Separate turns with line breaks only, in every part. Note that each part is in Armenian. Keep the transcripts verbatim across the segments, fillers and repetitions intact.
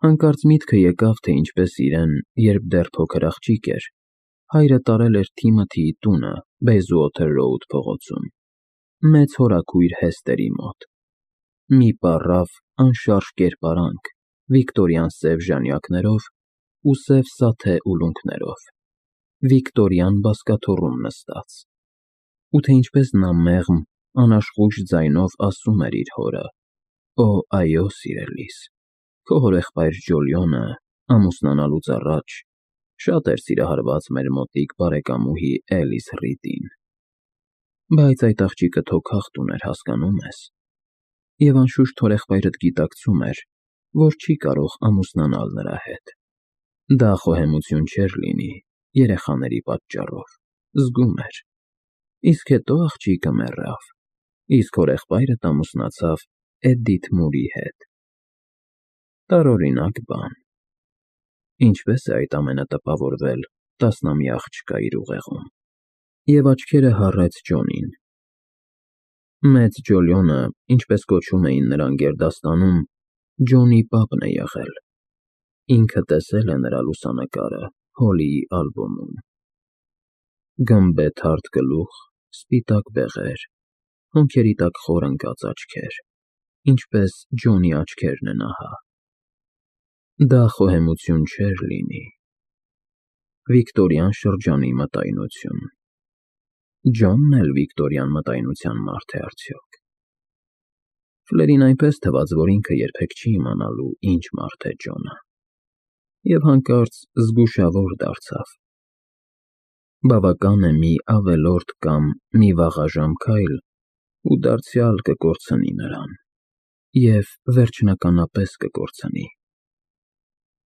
Հանկարծ միտքը եկավ, թե ինչպես իրեն, երբ դեռ փոքր աղջիկ էր, հայրը տարել էր Թիմոթիի տունը Բեյզուոթեր Ռոուդ փողոցում, մեծ հորաքույր Հեսթերի մոտ։ Մի պառավ, անշարժ կերպարանք, վիկտորյան սև ժանյակներով ու սև սաթե ուլունքներով, վիկտորյան բազկաթոռում նստած, ու թե ինչպես նա մեղմ, անաշխույժ ձայնով ասում էր իր հորը. «Օ, այո, սիրելիս, քո հորեղբայր Ջոլիոնը, ամուսնանալուց առաջ, շատ էր սիրահարված մեր մոտիկ բարեկամուհի Էլիս Ռիդին, բայց այդ աղջիկը թոքախտ ուներ, հասկանո՞ւմ ես, և անշուշտ հորեղբայրդ գիտակցում էր, որ չի կարող ամուսնանալ նրա հետ։ Դա խոհեմություն չէր լինի երեխաների պատճառով, զգում էր, իսկ հետո աղջիկը մեռավ, իսկ հորեղբայրդ ամուսնացավ Էդիթ Մուրի հետ։ Տարօրինակ բան։ Ինչպե՞ս է այդ ամենը տպավորվել տասնամյա աղջկա իր ուղեղում»։ Եվ աչքերը հառեց Ջոնին։ Մեծ Ջոլիոնը, ինչպես կոչում էին նրան գերդաստանում, Ջոնի պապն է եղել, ինքը տեսել է նրա լուսանկարը Հոլիի ալբոմում։ Գմբեթարդ գլուխ, սպիտակ բեղեր, հոնքերի տակ խոր ընկած աչքեր, ինչպես Ջոնի աչքերն են ահա։ Դա խոհեմություն չէր լինի։ Վիկտորյան շրջանի մտայնություն։ Ջոնն էլ վիկտորյան մտայնության մարդ է արդյոք։ Ֆլերին այնպես թվաց, որ ինքը երբեք չի իմանալու ինչ մարդ է Ջոնը, և հանկարծ զգուշավոր դարձավ։ Բավական է մի ավելորդ կամ մի վաղաժամ քայլ, ու դարձյալ կկորցնի նրան, և վերջնականապես կկորցնի։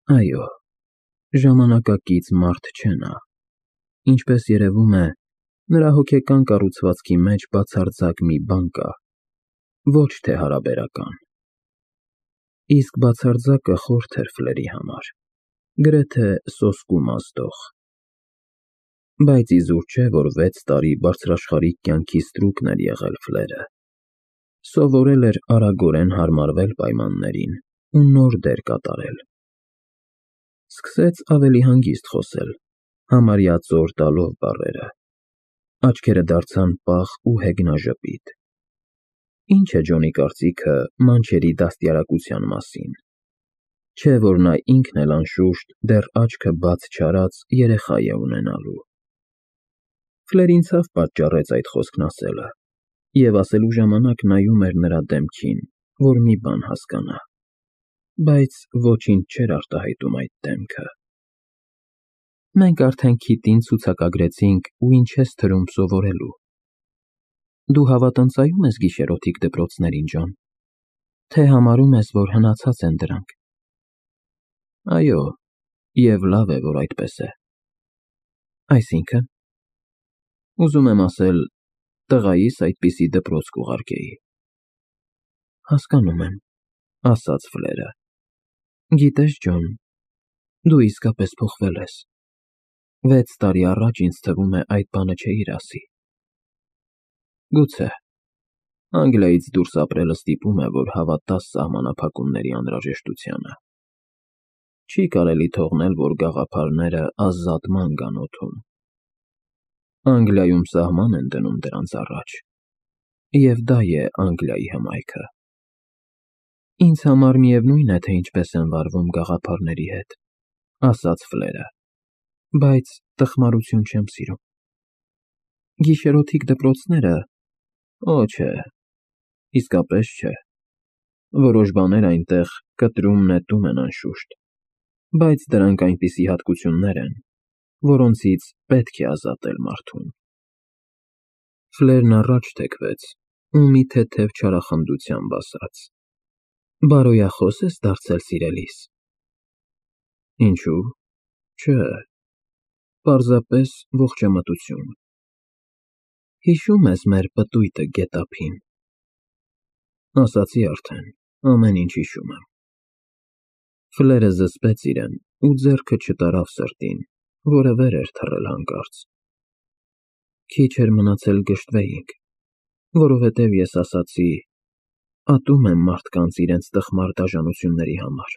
Այո, ժամանակակից մարդ չէ նա, ինչպես երևում է, նրա հոգեկան կառուցվածքի մեջ բացարձակ մի բան կա, ոչ թե հարաբերական։ Իսկ բացարձակը խորթ էր Ֆլերի համար, գրեթե սոսկու մազդող։ Բայց իզուր չէ, որ վեց տարի բարձրաշխարհիկ կյանքի ստրուկն էր եղել Ֆլերը, սովորել էր արագորեն հարմարվել պայմաններին ու նոր դեր կատարել։ Սկսեց ավելի հանգիստ խոսել, համարյա ծոր տալով բառերը, աչքերը դարձան պաղ ու հեգնաժպիտ։ Ինչ է Ջոնի կարծիքը մանչերի դաստիարակության մասին, չէ՞ որ նա ինքն էլ անշուշտ դեռ աչքը բաց չարած երեխա է ունենալու։ Ֆլերին ցավ պատճառեց այդ խոսքն ասելը, և ասելու ժամանակ նայում էր նրա դեմքին, որ մի բան հասկանա, բայց ոչինչ չէր արտահայտում այդ դեմքը։ Մենք արդեն քիտին ցուցակագրեցինք ու ինչ ես թվում սովորելու։ Դու հավատընծայո՞ւմ ես գիշերօթիկ դպրոցներին, Ջոն, թե համարում ես, որ հնացած են դրանք։ Այո, և լավ է, որ այդպես է։ Այսինքն։ Ուզում եմ ասել, տղայիս այդպիսի դպրոց կուղարկեի։ Հասկանում եմ, ասաց Ֆլերը։ Գիտես, Ջոն, դու իսկապես փոխվել ես։ Վեց տարի առաջ ինձ թվում է այդ բանը չէիր ասի։ Գուցե, Անգլիայից դուրս ապրելը ստիպում է, որ հավատաս սահմանափակումների անհրաժեշտությանը։ Չի կարելի թողնել, որ գաղափարները ազատման գան օդում։ Անգլիայում սահման են դնում դրանց առաջ, և դա է Անգլիայի հմայքը։ Ինձ համար միևնույն է, թե ինչպես են վարվում գաղափարների հետ, ասաց Ֆլերը, բայց տխմարություն չեմ սիրում։ Գիշերօթիկ դպրոցները, օ, չէ, իսկապես չէ։ Որոշ բաներ այնտեղ կտրում-նետում են անշուշտ, բայց դրանք այնպիսի հատկություններ են, որոնցից պետք է ազատել մարդուն։ Ֆլերն առաջ թեքվեց ու մի թեթև չարախնդությամբ ասաց. Բարոյախո՞ս ես դարձել, սիրելիս։ Ինչո՞ւ, չէ, պարզապես ողջամտություն։ Հիշո՞ւմ ես մեր պտույտը գետափին։ Ասացի արդեն, ամեն ինչ հիշում եմ։ Ֆլերը զսպեց իրեն ու ձեռքը չտարավ սրտին, որը վեր էր թռել հանկարծ։ Քիչ էր մնացել գժտվեինք, որովհետև ես ասացի. ատում եմ մարդկանց իրենց տխմար դաժանությունների համար։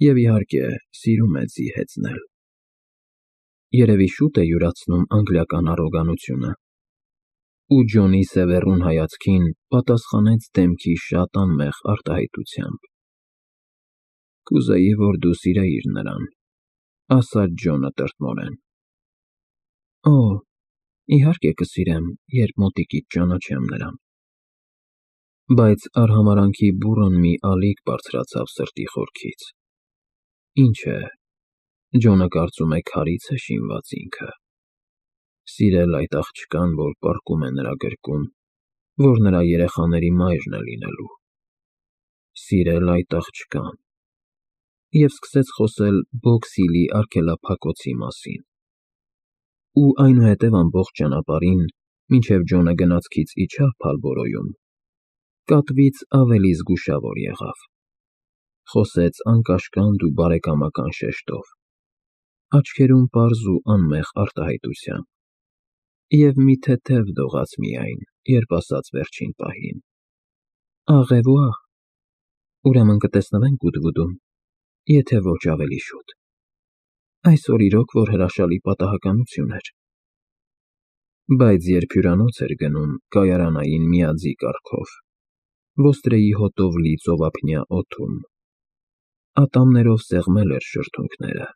Եվ իհարկե, սիրում է ձի հեծնել։ Երևի շուտ է յուրացնում անգլիական առոգանությունը։ Ու Ջոնի սևեռուն հայացքին պատասխանեց դեմքի շատ անմեղ արտահայտությամբ։ Կուզեի, որ դու սիրեիր նրան, ասաց Ջոնը տրտմորեն։ Օ, իհարկե կսիրեմ, երբ մոտիկից ճանաչեմ նրան։ Բայց արհամարհանքի բուռն մի ալիք բարձրացավ սրտի խորքից։ Ինչ է, Ջոնը կարծում է քարից է շինված ինքը։ Սիրել այդ աղջկան, որ պառկում է նրա գրկում, որ նրա երեխաների մայրն է լինելու։ Սիրել այդ աղջկան։ Եվ սկսեց խոսել Բոքս-Հիլի արգելափակոցի մասին։ Ու այնուհետև ամբողջ ճանապարհին, մինչև Ջոնը գնացքից իջավ Փալբորոյում, կատվից ավելի զգուշավոր եղավ։ Խոսեց անկաշկանդ ու բարեկամական շեշտով, աչքերում պարզ ու անմեղ արտահայտությամբ, և մի թեթև դողաց միայն, երբ ասաց վերջին պահին. Աղևուա, ուրեմն կտեսնվենք Գուդվուդում, եթե ոչ ավելի շուտ։ Այսօր իրոք որ հրաշալի պատահականություն էր։ Բայց երբ հյուրանոց էր գնում կայարանային միաձի կառքով, ոստրեի հոտով լի ծովափնյա օդում, ատամներով սեղմել էր շրթունքները,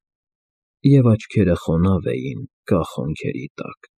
և աչքերը խոնավ էին կախ հոնքերի տակ։